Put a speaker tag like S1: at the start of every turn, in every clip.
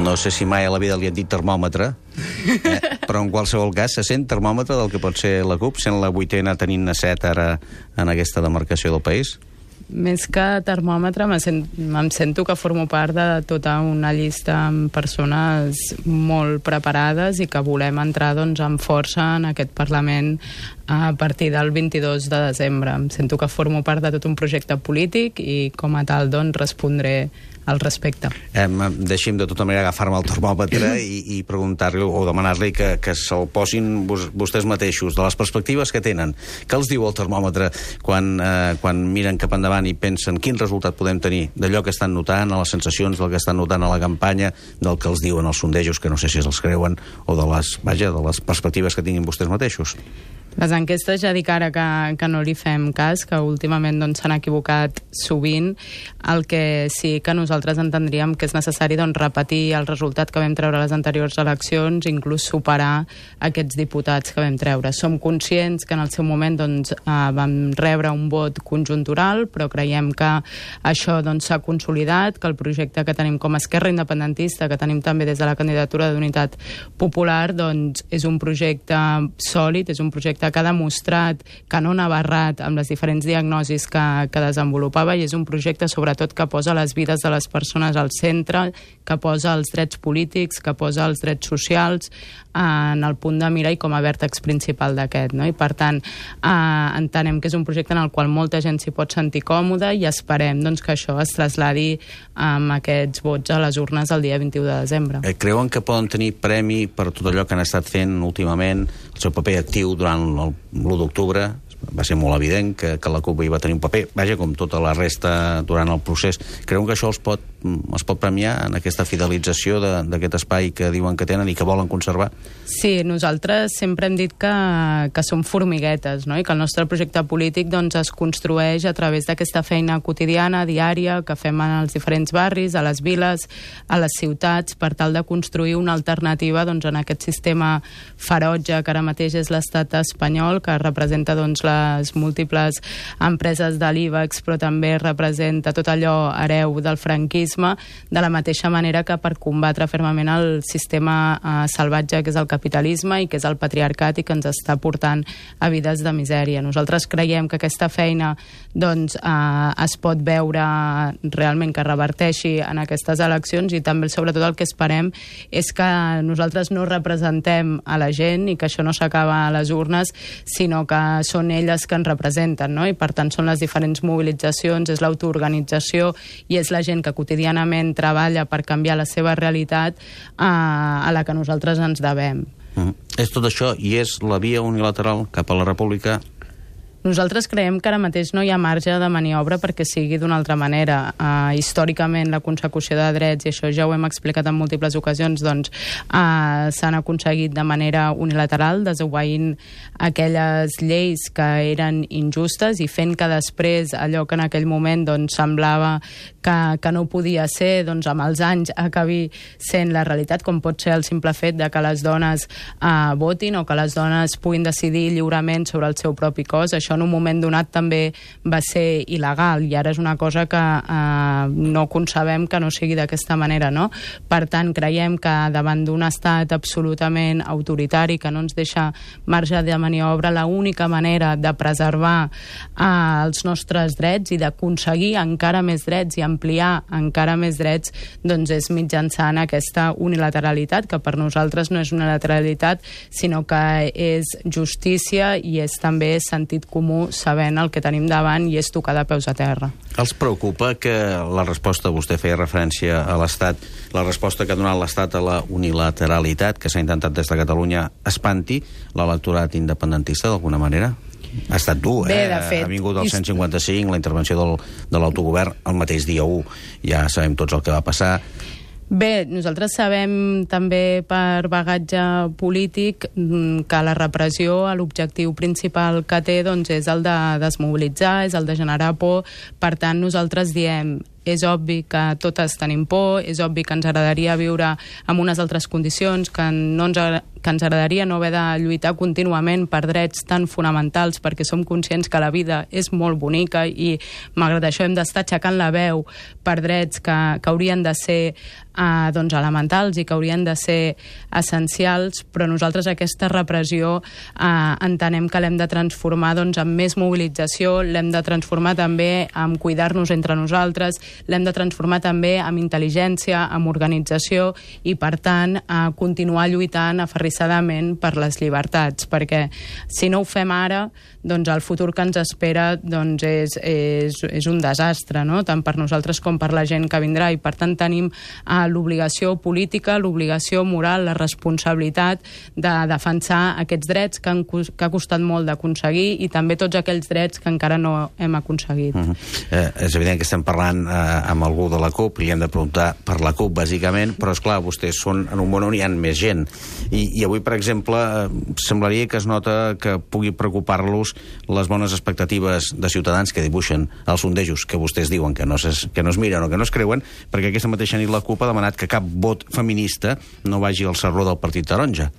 S1: No sé si mai a la vida li han dit termòmetre, però en qualsevol cas se sent termòmetre del que pot ser la CUP, sent la 8ª, tenint-ne 7 ara en aquesta demarcació del país?
S2: Més que termòmetre, em sento que formo part de tota una llista amb persones molt preparades i que volem entrar amb força en aquest Parlament a partir del 22 de desembre. Em sento que formo part de tot un projecte polític i com a tal respondré al respecte.
S1: Deixi'm de tota manera agafar-me el termòmetre i preguntar-li o demanar-li que se'l posin vostès mateixos, de les perspectives que tenen. Què els diu el termòmetre quan miren cap endavant i pensen quin resultat podem tenir d'allò que estan notant, a les sensacions del que estan notant a la campanya, del que els diuen els sondejos, que no sé si els creuen, o de les perspectives que tinguin vostès mateixos?
S2: Les enquestes ja dic ara que no li fem cas, que últimament s'han equivocat sovint. El que sí que nosaltres entendríem que és necessari repetir el resultat que vam treure a les anteriors eleccions, inclús superar aquests diputats que vam treure. Som conscients que en el seu moment vam rebre un vot conjuntural, però creiem que això s'ha consolidat, que el projecte que tenim com a Esquerra Independentista, que tenim també des de la candidatura d'Unitat Popular, és un projecte sòlid, és un projecte que ha demostrat que no anava errat amb les diferents diagnosis que desenvolupava, i és un projecte sobretot que posa les vides de les persones al centre, que posa els drets polítics, que posa els drets socials en el punt de mira i com a vèrtex principal d'aquest, no? I per tant entenem que és un projecte en el qual molta gent s'hi pot sentir còmoda i esperem que això es trasladi amb aquests vots a les urnes el dia 21 de desembre.
S1: Creuen que poden tenir premi per tot allò que han estat fent últimament, el seu paper actiu durant l'1 d'octubre? Va ser molt evident que la CUP hi va tenir un paper, com tota la resta durant el procés. Creuen que això els pot premiar en aquesta fidelització d'aquest espai que diuen que tenen i que volen conservar?
S2: Sí, nosaltres sempre hem dit que som formiguetes, no? I que el nostre projecte polític es construeix a través d'aquesta feina quotidiana, diària, que fem en els diferents barris, a les viles, a les ciutats, per tal de construir una alternativa en aquest sistema ferotge que ara mateix és l'estat espanyol, que representa les múltiples empreses de l'IBEX, però també representa tot allò hereu del franquisme, de la mateixa manera que per combatre fermament el sistema salvatge que és el capitalisme i que és el patriarcat i que ens està portant a vides de misèria. Nosaltres creiem que aquesta feina es pot veure realment que reverteixi en aquestes eleccions, i també sobretot el que esperem és que nosaltres no representem a la gent i que això no s'acaba a les urnes, sinó que són elles que ens representen, no? I per tant són les diferents mobilitzacions, és l'autoorganització i és la gent que quotidianament treballa per canviar la seva realitat a la que nosaltres ens devem.
S1: És tot això i és la via unilateral cap a la república?
S2: Nosaltres creiem que ara mateix no hi ha marge de maniobra perquè sigui d'una altra manera. Històricament, la consecució de drets, i això ja ho hem explicat en múltiples ocasions, s'han aconseguit de manera unilateral, desobeint aquelles lleis que eren injustes i fent que després allò que en aquell moment semblava que no podia ser, amb els anys acabi sent la realitat, com pot ser el simple fet de que les dones votin o que les dones puguin decidir lliurement sobre el seu propi cos. Això en un moment donat també va ser il·legal i ara és una cosa que no concebem que no sigui d'aquesta manera, no? Per tant, creiem que davant d'un estat absolutament autoritari que no ens deixa marge de maniobra, l'única manera de preservar els nostres drets i d'aconseguir encara més drets i ampliar encara més drets és mitjançant aquesta unilateralitat, que per nosaltres no és unilateralitat, sinó que és justícia i és també sentit comú, sabent el que tenim davant, i és tocar de peus a terra.
S1: Els preocupa que la resposta, vostè feia referència a l'Estat, la resposta que ha donat l'Estat a la unilateralitat que s'ha intentat des de Catalunya espanti l'electorat independentista d'alguna manera? Ha estat dur,
S2: Bé, de fet,
S1: ha vingut el 155, la intervenció de l'autogovern el mateix dia 1, ja sabem tots el que va passar.
S2: Bé, nosaltres sabem també per bagatge polític que la repressió, l'objectiu principal que té és el de desmobilitzar, és el de generar por. Per tant, nosaltres diem, és obvi que totes tenim por, és obvi que ens agradaria viure en unes altres condicions, que que ens agradaria no haver de lluitar contínuament per drets tan fonamentals, perquè som conscients que la vida és molt bonica i malgrat això hem d'estar aixecant la veu per drets que haurien de ser doncs elementals i que haurien de ser essencials, però nosaltres aquesta repressió entenem que l'hem de transformar doncs, en més mobilització, l'hem de transformar també en cuidar-nos entre nosaltres, l'hem de transformar també amb intel·ligència, amb organització i, per tant, continuar lluitant aferrissadament per les llibertats, perquè si no ho fem ara, doncs el futur que ens espera doncs, és un desastre, no? Tant per nosaltres com per la gent que vindrà, i per tant tenim l'obligació política, l'obligació moral, la responsabilitat de defensar aquests drets que ha costat molt d'aconseguir i també tots aquells drets que encara no hem aconseguit.
S1: És evident que estem parlant amb algú de la CUP i li hem de preguntar per la CUP, bàsicament, però és clar, vostès són en un món on hi ha més gent. I avui, per exemple, semblaria que es nota que pugui preocupar-los les bones expectatives de ciutadans que dibuixen els sondejos que vostès diuen que no es miren o que no es creuen, perquè aquesta mateixa nit la CUP ha demanat que cap vot feminista no vagi al sarró del Partit Taronja.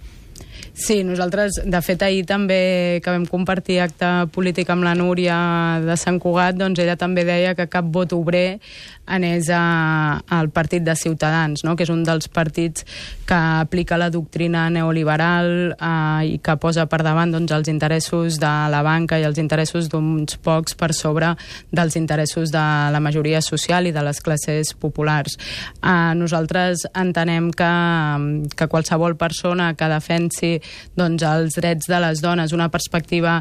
S2: Sí, nosaltres, de fet, ahir també que vam compartir acte polític amb la Núria de Sant Cugat, doncs ella també deia que cap vot obrer anés al partit de Ciutadans, no? Que és un dels partits que aplica la doctrina neoliberal i que posa per davant doncs, els interessos de la banca i els interessos d'uns pocs per sobre dels interessos de la majoria social i de les classes populars. Nosaltres entenem que qualsevol persona que defensi doncs, els drets de les dones, una perspectiva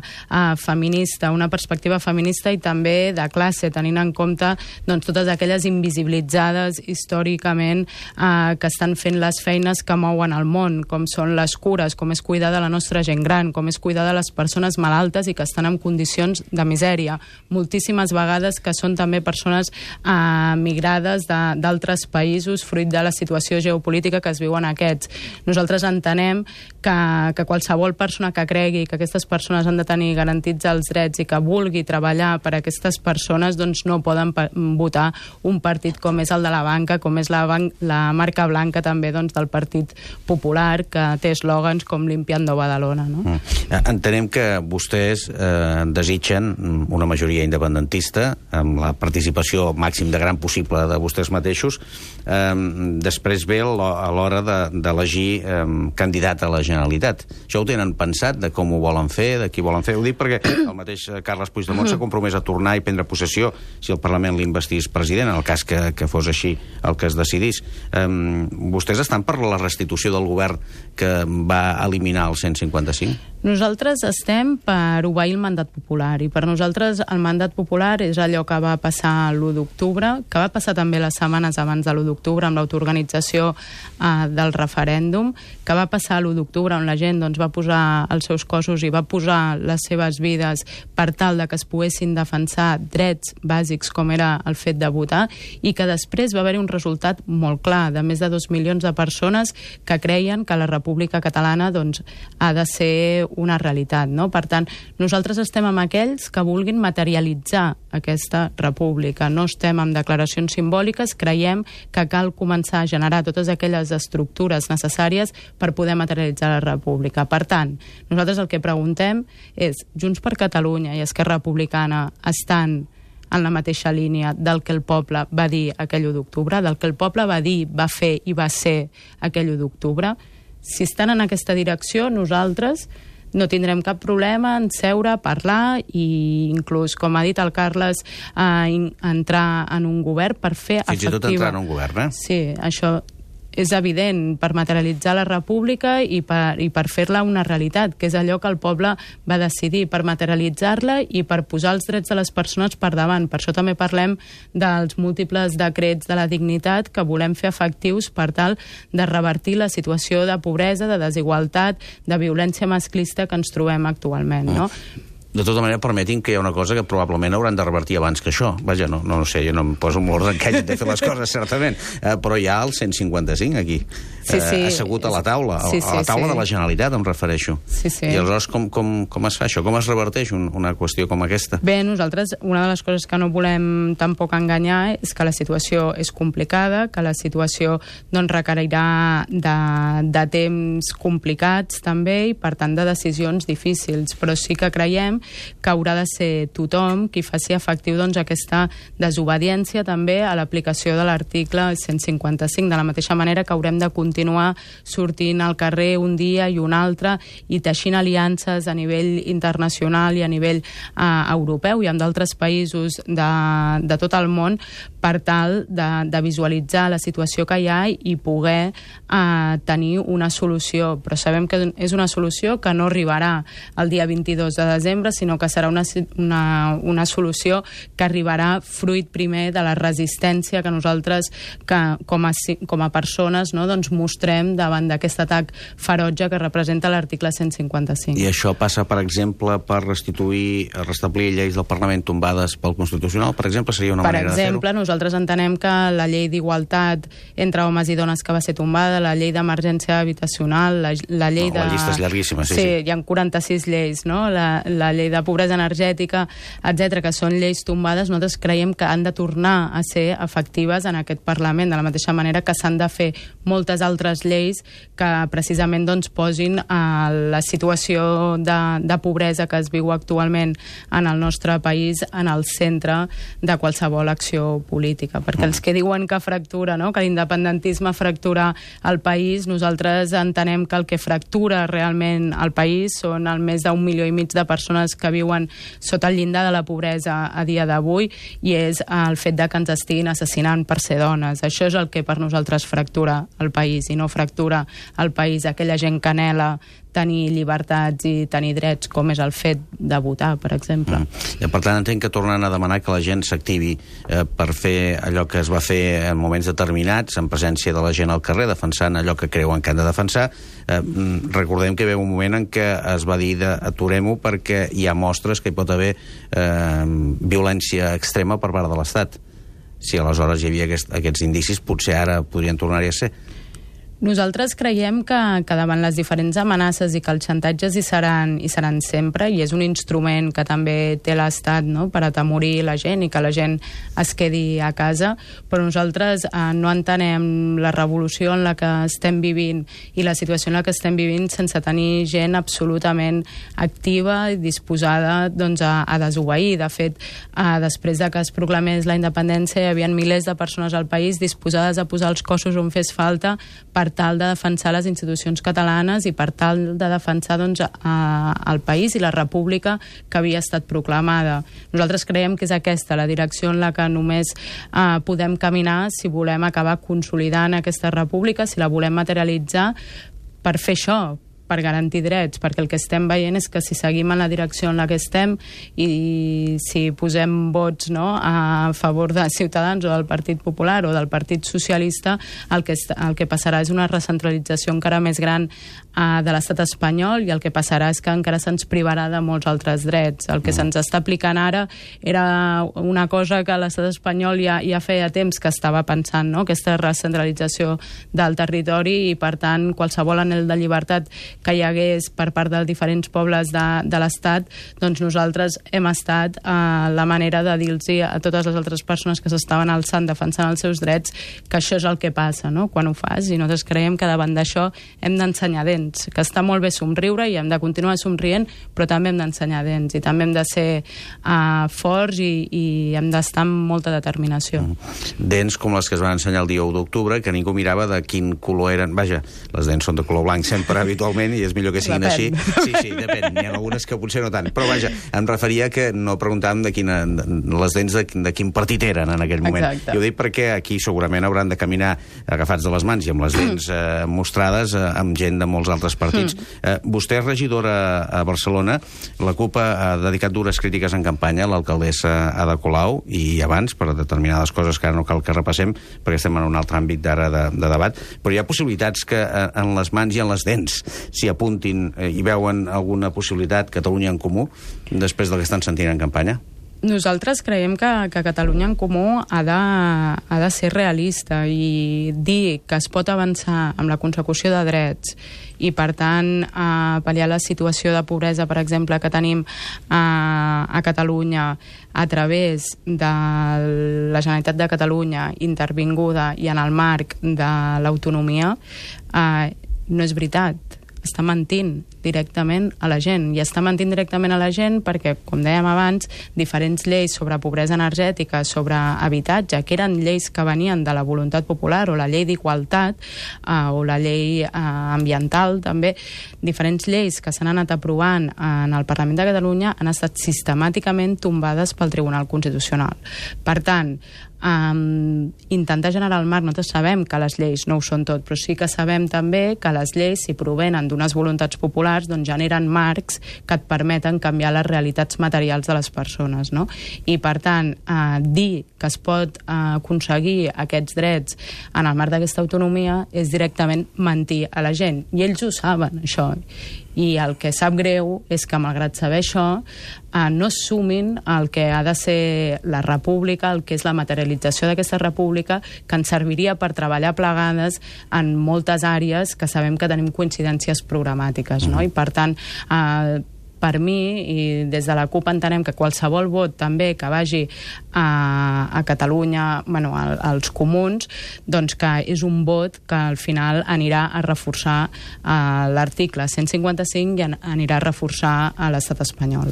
S2: feminista i també de classe, tenint en compte doncs, totes aquelles invisibilitzades històricament que estan fent les feines que mouen el món, com són les cures, com és cuidar de la nostra gent gran, com és cuidar de les persones malaltes i que estan en condicions de misèria. Moltíssimes vegades que són també persones migrades d'altres països fruit de la situació geopolítica que es viuen aquests. Nosaltres entenem que qualsevol persona que cregui que aquestes persones han de tenir garantits els drets i que vulgui treballar per a aquestes persones doncs no poden votar un partit com és el de la banca, com és la marca blanca també doncs, del Partit Popular, que té eslògans com Limpiando Badalona. No?
S1: Entenem que vostès desitgen una majoria independentista amb la participació màxim de gran possible de vostès mateixos. Després ve a l'hora d'elegir candidat a la Generalitat. Això ho tenen pensat, de com ho volen fer, de qui volen fer? Ho dic perquè el mateix Carles Puigdemont s'ha compromès a tornar i prendre possessió si el Parlament l'investís president, en el cas que fos així el que es decidís. Vostès estan per la restitució del govern que va eliminar el 155?
S2: Nosaltres estem per obeir el mandat popular i per nosaltres el mandat popular és allò que va passar l'1 d'octubre, que va passar també les setmanes abans de l'1 d'octubre amb l'autoorganització del referèndum, que va passar l'1 d'octubre on la gent doncs, va posar els seus cossos i va posar les seves vides per tal de que es poguessin defensar drets bàsics com era el fet de votar i que després va haver-hi un resultat molt clar de més de 2 milions de persones que creien que la República Catalana doncs, ha de ser una realitat. No? Per tant, nosaltres estem amb aquells que vulguin materialitzar aquesta república. No estem amb declaracions simbòliques, creiem que cal començar a generar totes aquelles estructures necessàries per poder materialitzar la república. Per tant, nosaltres el que preguntem és, Junts per Catalunya i Esquerra Republicana estan en la mateixa línia del que el poble va dir aquell 1 d'octubre, del que el poble va dir, va fer i va ser aquell 1 d'octubre? Si estan en aquesta direcció, nosaltres no tindrem cap problema en seure, parlar i inclús, com ha dit el Carles, entrar en un govern per fer efectiva...
S1: Fins i tot entrar en un govern, eh?
S2: Sí, això és evident, per materialitzar la república i per fer-la una realitat, que és allò que el poble va decidir, per materialitzar-la i per posar els drets de les persones per davant. Per això també parlem dels múltiples decrets de la dignitat que volem fer efectius per tal de revertir la situació de pobresa, de desigualtat, de violència masclista que ens trobem actualment, no?
S1: De tota manera, permetin que hi ha una cosa que probablement hauran de revertir abans que això. Vaja, no sé, jo no em poso molt ordre que hagin de fer les coses, certament. Però hi ha el 155 aquí, assegut a la taula, a la taula de la Generalitat, em refereixo. I aleshores, com es fa això? Com es reverteix una qüestió com aquesta?
S2: Bé, nosaltres, una de les coses que no volem tampoc enganyar és que la situació és complicada, que la situació doncs, requerirà de temps complicats també i, per tant, de decisions difícils. Però sí que creiem que haurà de ser tothom qui faci efectiu doncs, aquesta desobediència també a l'aplicació de l'article 155, de la mateixa manera que haurem de continuar sortint al carrer un dia i un altre i teixint aliances a nivell internacional i a nivell europeu i amb d'altres països de tot el món per tal de visualitzar la situació que hi ha i poder tenir una solució. Però sabem que és una solució que no arribarà el dia 22 de desembre, sinó que serà una solució que arribarà fruit primer de la resistència que nosaltres, com a persones, no, doncs mostrem davant d'aquest atac ferotge que representa l'article 155.
S1: I això passa, per exemple, per restablir lleis del Parlament tombades pel Constitucional, per exemple, seria una manera de fer-ho?
S2: Per exemple, nosaltres entenem que la llei d'igualtat entre homes i dones que va ser tombada, la llei d'emergència habitacional, la llei de...
S1: La llista és llarguíssima, sí.
S2: Hi ha 46 lleis, no? La llei de pobresa energètica, etc., que són lleis tombades, nosaltres creiem que han de tornar a ser efectives en aquest Parlament, de la mateixa manera que s'han de fer moltes altres lleis que precisament doncs, posin la situació de pobresa que es viu actualment en el nostre país en el centre de qualsevol acció política. Perquè els que diuen que fractura, no? Que l'independentisme fractura el país, nosaltres entenem que el que fractura realment el país són el més d'1,5 milió de persones que viuen sota el llindar de la pobresa a dia d'avui i és el fet de que ens estiguin assassinant per ser dones. Això és el que per nosaltres fractura el país i no fractura el país aquella gent que anhela tenir llibertats i tenir drets, com és el fet de votar, per exemple.
S1: Per tant, entenc que tornen a demanar que la gent s'activi per fer allò que es va fer en moments determinats, en presència de la gent al carrer, defensant allò que creuen que han de defensar. Recordem que ve un moment en què es va dir aturem-ho perquè hi ha mostres que hi pot haver violència extrema per part de l'Estat. Si aleshores hi havia aquests indicis, potser ara podrien tornar-hi a ser.
S2: Nosaltres creiem que davant les diferents amenaces i que els xantatges hi seran sempre, i és un instrument que també té l'Estat, no?, per atemorir la gent i que la gent es quedi a casa, però nosaltres no entenem la revolució en la que estem vivint i la situació en la que estem vivint sense tenir gent absolutament activa i disposada doncs, a desobeir. De fet, després de que es proclamés la independència hi havia milers de persones al país disposades a posar els cossos on fes falta per tal de defensar les institucions catalanes i per tal de defensar doncs, el país i la república que havia estat proclamada. Nosaltres creiem que és aquesta la direcció en la que només podem caminar si volem acabar consolidant aquesta república, si la volem materialitzar per fer això, per garantir drets, perquè el que estem veient és que si seguim en la direcció en la que estem i si posem vots, no, a favor de Ciutadans o del Partit Popular o del Partit Socialista, el que passarà és una recentralització encara més gran de l'estat espanyol i el que passarà és que encara se'ns privarà de molts altres drets. El que se'ns està aplicant ara era una cosa que l'estat espanyol ja feia temps que estava pensant, no? Aquesta recentralització del territori i, per tant, qualsevol anhel de llibertat que hi hagués per part de diferents pobles de l'Estat, doncs nosaltres hem estat la manera de dir-los a totes les altres persones que s'estaven alçant defensant els seus drets que això és el que passa, no?, quan ho fas, i nosaltres creiem que davant d'això hem d'ensenyar dents, que està molt bé somriure i hem de continuar somrient, però també hem d'ensenyar dents i també hem de ser forts i hem d'estar amb molta determinació.
S1: Dents com les que es van ensenyar el dia 1 d'octubre, que ningú mirava de quin color eren. Vaja, les dents són de color blanc sempre habitualment i és millor que siguin així. Sí, depèn. N'hi ha algunes que potser no tant. Però vaja, em referia que no preguntàvem les dents de quin partit eren en aquell moment.
S2: Exacte.
S1: I ho dic perquè aquí segurament hauran de caminar agafats de les mans i amb les dents mostrades amb gent de molts altres partits. Vostè és regidora a Barcelona. La CUP ha dedicat dures crítiques en campanya a l'alcaldessa Ada Colau i abans, per determinades coses que ara no cal que repassem, perquè estem en un altre àmbit d'ara de debat. Però hi ha possibilitats que en les mans i en les dents s'hi apuntin i veuen alguna possibilitat Catalunya en Comú després del que estan sentint en campanya?
S2: Nosaltres creiem que Catalunya en Comú ha de ser realista i dir que es pot avançar amb la consecució de drets i, per tant, pal·liar la situació de pobresa, per exemple, que tenim a Catalunya a través de la Generalitat de Catalunya intervinguda i en el marc de l'autonomia, no és veritat. Està mentint directament a la gent. I està mentint directament a la gent perquè, com dèiem abans, diferents lleis sobre pobresa energètica, sobre habitatge, que eren lleis que venien de la voluntat popular, o la llei d'igualtat, o la llei ambiental, també, diferents lleis que s'han anat aprovant en el Parlament de Catalunya han estat sistemàticament tombades pel Tribunal Constitucional. Per tant, intentar generar el marc, nosaltres sabem que les lleis no ho són tot, però sí que sabem també que les lleis, si provenen d'unes voluntats populars, doncs generen marcs que et permeten canviar les realitats materials de les persones, no? I, per tant, dir que es pot aconseguir aquests drets en el marc d'aquesta autonomia és directament mentir a la gent. I ells ho saben, això. I el que sap greu és que, malgrat saber això, no sumin el que ha de ser la república, el que és la materialització d'aquesta república, que ens serviria per treballar plegades en moltes àrees que sabem que tenim coincidències programàtiques, no? I, per tant, per mi, i des de la CUP entenem que qualsevol vot també que vagi a Catalunya, bueno, als comuns, doncs que és un vot que al final anirà a reforçar l'article 155 i anirà a reforçar a l'estat espanyol.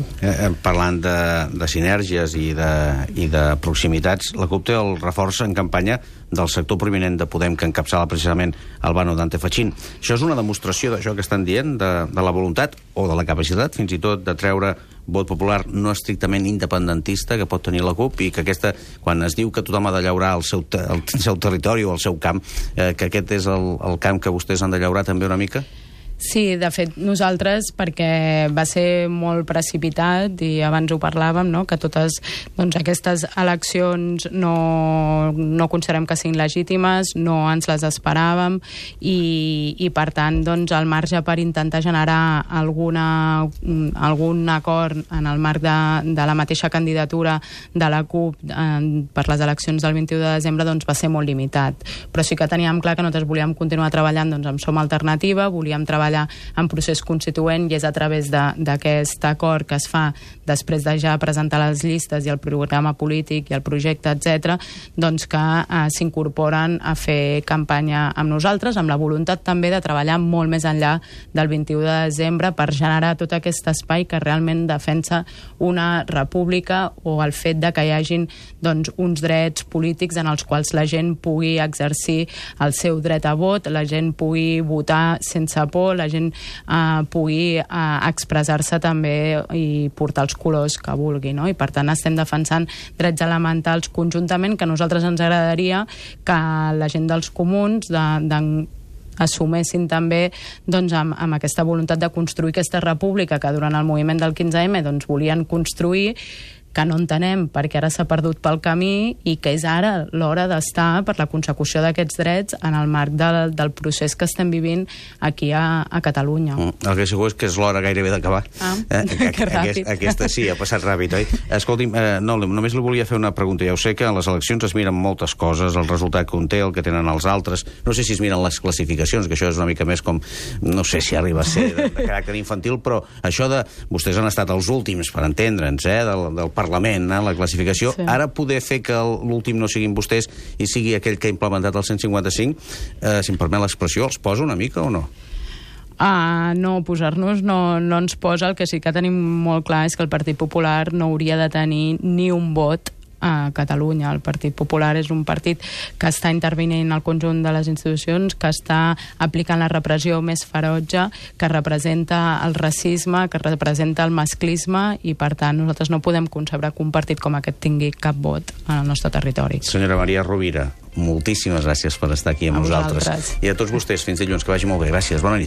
S1: Parlant de sinergies i de proximitats, la CUP té el reforç en campanya del sector prominent de Podem que encapçala precisament Albano Dante Fachin. Això és una demostració d'això que estan dient, de la voluntat o de la capacitat, fins i tot, de treure vot popular no estrictament independentista que pot tenir la CUP, i que aquesta, quan es diu que tothom ha de llaurar el seu territori o el seu camp, que aquest és el camp que vostès han de llaurar també una mica?
S2: Sí, de fet, nosaltres, perquè va ser molt precipitat, i abans ho parlàvem, no?, que totes aquestes eleccions no considerem que siguin legítimes, no ens les esperàvem, i per tant, el marge per intentar generar algun acord en el marc de la mateixa candidatura de la CUP per les eleccions del 21 de desembre va ser molt limitat. Però sí que teníem clar que nosaltres volíem continuar treballant amb Som Alternativa, volíem treballar en procés constituent, i és a través d'aquest acord que es fa després de ja presentar les llistes i el programa polític i el projecte, etc., que s'incorporen a fer campanya amb nosaltres, amb la voluntat també de treballar molt més enllà del 21 de desembre per generar tot aquest espai que realment defensa una república, o el fet de que hi hagin uns drets polítics en els quals la gent pugui exercir el seu dret a vot, la gent pugui votar sense por, la gent pugui expressar-se també i portar els colors que vulgui, no? I per tant estem defensant drets elementals conjuntament, que a nosaltres ens agradaria que la gent dels comuns assumessin també amb aquesta voluntat de construir aquesta república que durant el moviment del 15M volien construir, que no entenem perquè ara s'ha perdut pel camí, i que és ara l'hora d'estar per la consecució d'aquests drets en el marc del procés que estem vivint aquí a Catalunya.
S1: El que segur és que és l'hora gairebé d'acabar.
S2: Que ràpid.
S1: Aquesta sí, ha passat ràpid, oi? Escolti'm, no, només li volia fer una pregunta. Ja ho sé que a les eleccions es miren moltes coses, el resultat que un té, el que tenen els altres. No sé si es miren les classificacions, que això és una mica més com, no sé si arriba a ser de caràcter infantil, però això de... Vostès han estat els últims, per entendre'ns, del Parlament, la classificació. Sí. Ara poder fer que l'últim no siguin vostès i sigui aquell que ha implementat el 155, si em permet l'expressió, els posa una mica o no?
S2: No, posar-nos no ens posa. El que sí que tenim molt clar és que el Partit Popular no hauria de tenir ni un vot a Catalunya. El Partit Popular és un partit que està intervenint al conjunt de les institucions, que està aplicant la repressió més ferotge, que representa el racisme, que representa el masclisme, i per tant nosaltres no podem concebre que un partit com aquest tingui cap vot al nostre territori.
S1: Senyora Maria Rovira, moltíssimes gràcies per estar aquí amb nosaltres. I a tots vostès, fins dilluns, que vagi molt bé. Gràcies, bona nit.